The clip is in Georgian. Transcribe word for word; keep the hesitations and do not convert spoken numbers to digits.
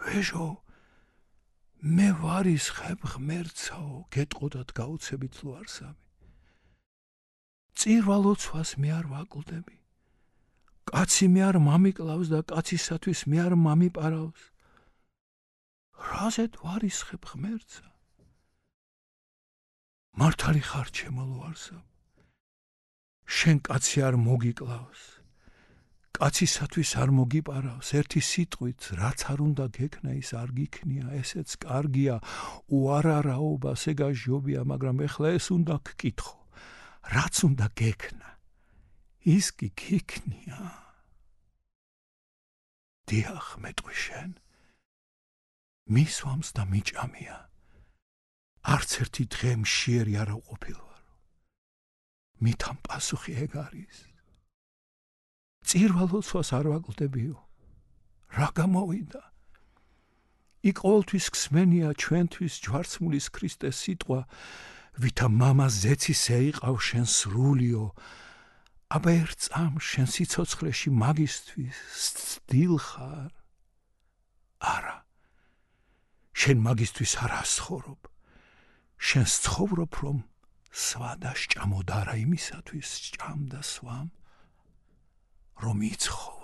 ვეჟო, მე ვარისხებ ღმერთსაო, გეტყოდათ გაუცებით ლუარსამი. წირვალოცვას მე არ ვაკლდები. კაცი მე არ მამიკლავს და კაცისათვის მე არ მამიპარავს. რაზედ ვარისხებ ღმერთსა? მართალი ხარ ჩემო ლუარსამ. შენ კაცი არ მოგიკლავს. კაცისათვის არ მოგიპარავს, ერთი სიტყვით, რაც არ უნდა გექნა, ის არ გიქნია, ესეც კარგია, უარარაობას ეგაჟობია, მაგრამ ეხლა ეს უნდა გკითხო, რაც უნდა გექნა, ის კი გიქნია. დიახ, მეტყვი შენ, მისვამს და მიჭამია, არც ერთი დღე მშიერი არ ვყოფილვარო, მითამ პასუხი ეგ არის. წირვალოცვას არ ვაკლდებიო, რა გამოვიდა? იქ ყოველთვის ქსმენია ჩვენთვის ჯვარცმულის ქრისტეს სიტყვა, ვითა მამა ზეცის ეიყავ შენ სრულიო, აბა ერთ წამს შენ სიცოცხლეში მაგისთვის ცდილ ხარ. არა, შენ მაგისთვის არ ასცხოვრობ, შენ სცხოვრობ, რომ სვა და სჭამოდ არა იმისათვის სჭამ და სვამ, რომ იცხო.